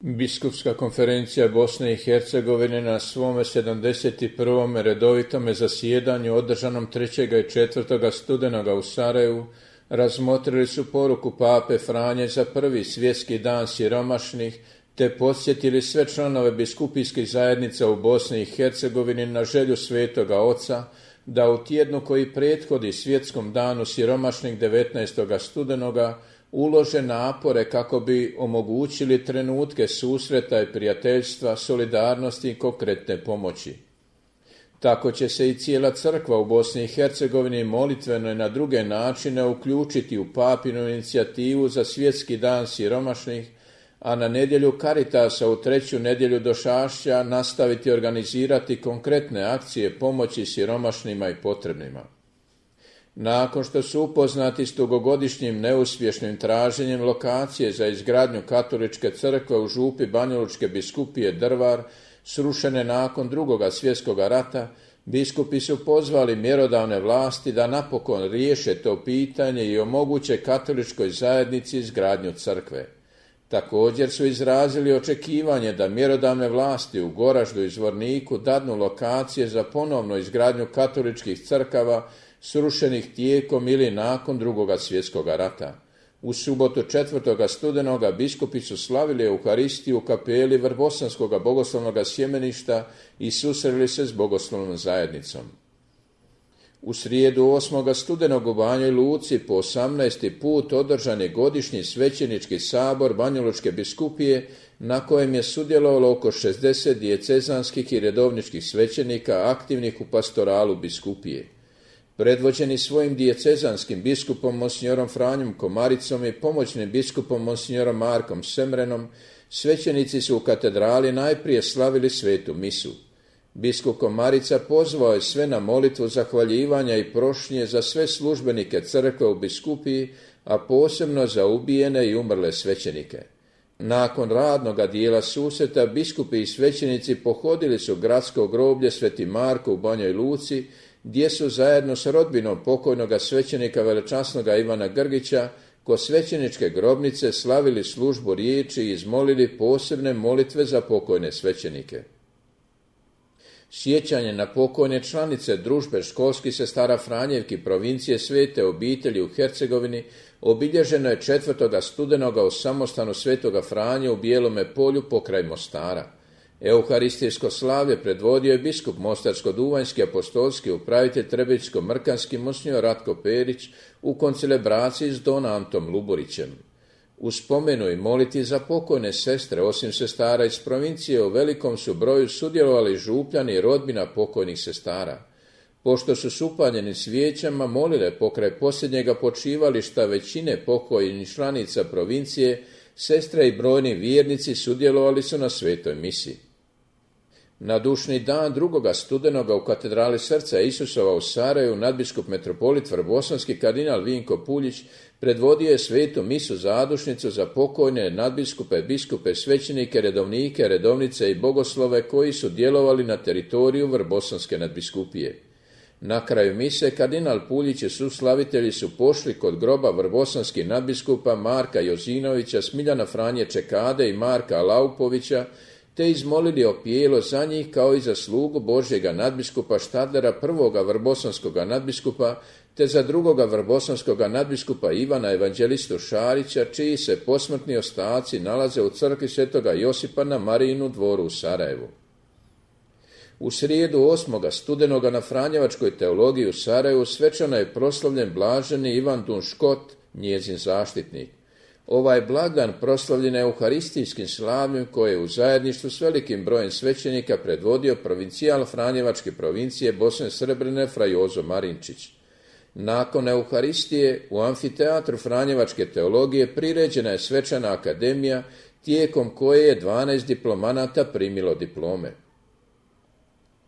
Biskupska konferencija Bosne i Hercegovine na svome 71. redovitome zasjedanju održanom 3. i 4. studenoga u Sarajevu razmotrili su poruku pape Franje za prvi svjetski dan siromašnih te podsjetili sve članove biskupijskih zajednica u Bosni i Hercegovini na želju Svetoga Oca da u tjednu koji prethodi svjetskom danu siromašnih 19. studenoga ulože napore kako bi omogućili trenutke susreta i prijateljstva, solidarnosti i konkretne pomoći. Tako će se i cijela crkva u Bosni i Hercegovini molitveno i na druge načine uključiti u papinu inicijativu za svjetski dan siromašnih, a na nedjelju Karitasa u 3. nedjelju Došašća nastaviti organizirati konkretne akcije pomoći siromašnima i potrebnima. Nakon što su upoznati s dugogodišnjim neuspješnim traženjem lokacije za izgradnju katoličke crkve u župi Banjalučke biskupije Drvar, srušene nakon II. Svjetskog rata, biskupi su pozvali mjerodavne vlasti da napokon riješe to pitanje i omoguće katoličkoj zajednici izgradnju crkve. Također su izrazili očekivanje da mjerodavne vlasti u Goraždu i Zvorniku dadnu lokacije za ponovnu izgradnju katoličkih crkava srušenih tijekom ili nakon II. Svjetskog rata. U subotu 4. studenoga biskupi su slavili Euharistiju u kapeli Vrbosanskog bogoslovnog sjemeništa i susreli se s bogoslovnom zajednicom. U srijedu 8. studenog u Banjoj Luci po 18. put održan je godišnji svećenički sabor Banjalučke biskupije na kojem je sudjelovalo oko 60 dijecezanskih i redovničkih svećenika aktivnih u pastoralu biskupije. Predvođeni svojim diecezanskim biskupom monsignorom Franjom Komaricom i pomoćnim biskupom monsignorom Markom Semrenom, svećenici su u katedrali najprije slavili svetu misu. Biskup Komarica pozvao je sve na molitvu zahvaljivanja i prošnje za sve službenike crkve u biskupiji, a posebno za ubijene i umrle svećenike. Nakon radnoga dijela susreta biskupi i svećenici pohodili su gradsko groblje Sveti Marko u Banjoj Luci, gdje su zajedno s rodbinom pokojnoga svećenika velečasnoga Ivana Grgića kod svećeničke grobnice slavili službu riječi i izmolili posebne molitve za pokojne svećenike. Sjećanje na pokojne članice družbe školskih sestara Franjevki provincije Svete obitelji u Hercegovini obilježeno je 4. studenoga u samostanu Svetoga Franje u Bijelome polju pokraj Mostara. Euharistijsko slavlje predvodio je biskup Mostarsko-Duvanjski apostolski upravitelj Trebičko-Mrkanski monsinjor Ratko Perić u koncelebraciji s don Antom Luburićem. U spomenu i moliti za pokojne sestre, osim sestara iz provincije, u velikom su broju sudjelovali župljani i rodbina pokojnih sestara. Pošto su s upaljenim svijećama molile pokraj posljednjega počivališta većine pokojnih članica provincije, sestre i brojni vjernici sudjelovali su na svetoj misi. Na dušni dan 2. studenoga u katedrali Srca Isusova u Sarajevu nadbiskup metropolit Vrbosanski kardinal Vinko Puljić predvodio je svetu misu zadušnicu za pokojne nadbiskupe, biskupe, svećenike, redovnike, redovnice i bogoslove koji su djelovali na teritoriju Vrbosanske nadbiskupije. Na kraju mise kardinal Puljić i suslavitelji su pošli kod groba vrbosanskih nadbiskupa Marka Jozinovića, Smiljana Franje Čekade i Marka Laupovića, te izmolili opijelo za njih kao i za slugu Božjega nadbiskupa Štadlera, prvoga vrbosanskoga nadbiskupa, te za drugoga vrbosanskoga nadbiskupa Ivana Evanđelistu Šarića, čiji se posmrtni ostaci nalaze u crkvi Svetoga Josipa na Marijinu dvoru u Sarajevu. U srijedu 8. studenoga na Franjevačkoj teologiji u Sarajevu svečano je proslavljen blaženi Ivan Dunškot, njezin zaštitnik. Ovaj blagdan proslavljen je euharistijskim slavljem koje je u zajedništvu s velikim brojem svećenika predvodio provincijal Franjevačke provincije Bosne Srebrene fra Jozo Marinčić. Nakon euharistije u amfiteatru Franjevačke teologije priređena je svečana akademija tijekom koje je 12 diplomanata primilo diplome.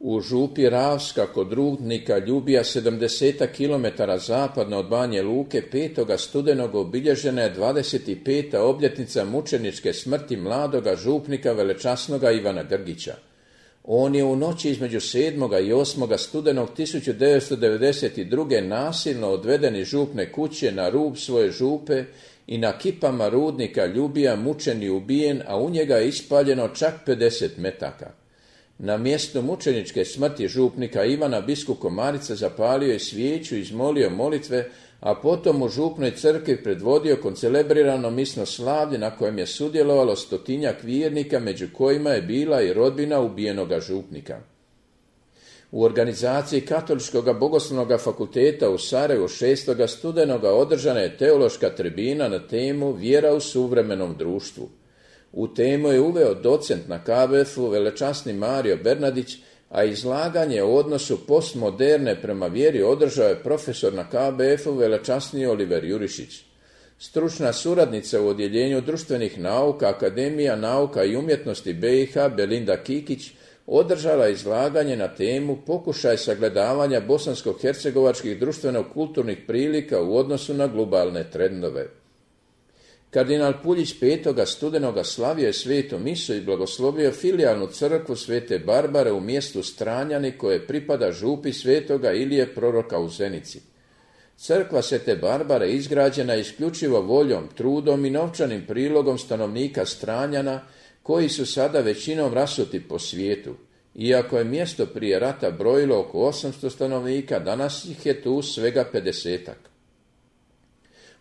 U župi Ravska kod rudnika Ljubija 70 km zapadno od Banje Luke 5. studenog obilježena je 25. obljetnica mučeničke smrti mladoga župnika velečasnoga Ivana Grgića. On je u noći između 7. i 8. studenog 1992. nasilno odveden iz župne kuće na rub svoje župe i na kipama rudnika Ljubija mučen i ubijen, a u njega je ispaljeno čak 50 metaka. Na mjestu mučeničke smrti župnika Ivana biskup Komarica zapalio je svijeću i izmolio molitve, a potom u župnoj crkvi predvodio koncelebrirano misno slavlje na kojem je sudjelovalo 100-tinjak vjernika, među kojima je bila i rodbina ubijenoga župnika. U organizaciji Katoličkog bogoslovnog fakulteta u Sarajevu 6. studenoga održana je teološka tribina na temu Vjera u suvremenom društvu. U temu je uveo docent na KBF-u velečasni Mario Bernardić, a izlaganje o odnosu postmoderne prema vjeri održao je profesor na KBF-u velečasni Oliver Jurišić. Stručna suradnica u odjeljenju društvenih nauka Akademija nauka i umjetnosti BiH Belinda Kikić održala izlaganje na temu Pokušaj sagledavanja bosansko-hercegovačkih društveno-kulturnih prilika u odnosu na globalne trendove. Kardinal Puljić 5. studenoga slavio je svetu misu i blagoslovio filijalnu crkvu Svete Barbare u mjestu Stranjani koje pripada župi Svetoga Ilije proroka u Zenici. Crkva Svete Barbare izgrađena je isključivo voljom, trudom i novčanim prilogom stanovnika Stranjana, koji su sada većinom rasuti po svijetu. Iako je mjesto prije rata brojilo oko 800 stanovnika, danas ih je tu svega 50-ak.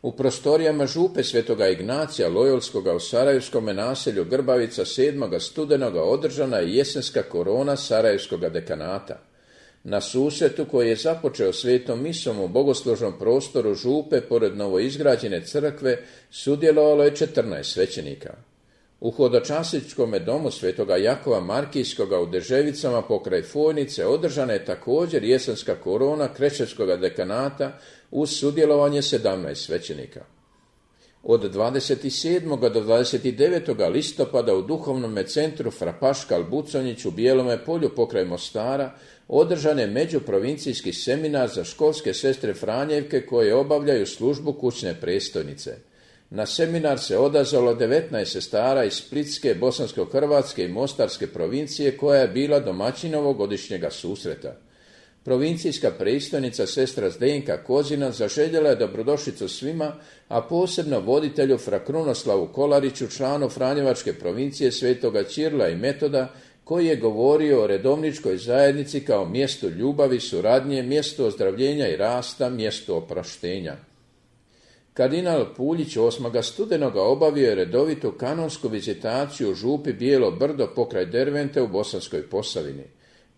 U prostorijama župe Svetoga Ignacija Lojolskoga u sarajevskome naselju Grbavica 7. studenoga održana je jesenska korona sarajevskoga dekanata. Na susretu koji je započeo svetom misom u bogoslužnom prostoru župe pored novoizgrađene crkve sudjelovalo je 14 svećenika. U hodočasničkom domu Svetoga Jakova Markijskoga u Deževicama pokraj Fojnice održana je također jesenska korona Krečevskoga dekanata uz sudjelovanje 17 svećenika. Od 27. do 29. listopada u duhovnom centru Fra Paškal Buconjić u Bijelome polju pokraj Mostara održan je međuprovincijski seminar za školske sestre Franjevke koje obavljaju službu kućne predstojnice. Na seminar se odazvalo 19 sestara iz Splitske, Bosansko-Hrvatske i Mostarske provincije koja je bila domaćin ovogodišnjega susreta. Provincijska predstojnica sestra Zdenka Kozina zaželjela je dobrodošlicu svima, a posebno voditelju Fra Krunoslavu Kolariću, članu Franjevačke provincije Svetoga Ćirila i Metoda, koji je govorio o redovničkoj zajednici kao mjestu ljubavi, suradnje, mjestu ozdravljenja i rasta, mjestu oproštenja. Kardinal Puljić 8. studenoga obavio je redovitu kanonsku vizitaciju u župi Bijelo Brdo pokraj Dervente u Bosanskoj Posavini.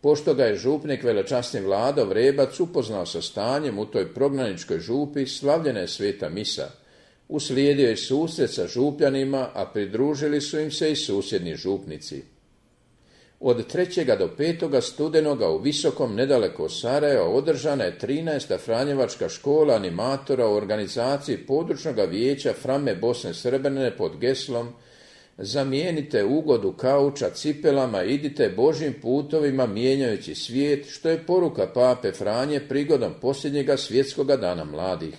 Pošto ga je župnik velečasni Vlado Vrebac upoznao sa stanjem u toj prognaničkoj župi, slavljena je sveta misa. Uslijedio je susret sa župljanima, a pridružili su im se i susjedni župnici. Od 3. do 5. studenoga u Visokom, nedaleko od Sarajeva, održana je 13. Franjevačka škola animatora u organizaciji područnog vijeća Frame Bosne Srebrene pod geslom Zamijenite ugodu kauča cipelama, idite Božjim putovima mijenjajući svijet, što je poruka pape Franje prigodom posljednjega svjetskoga dana mladih.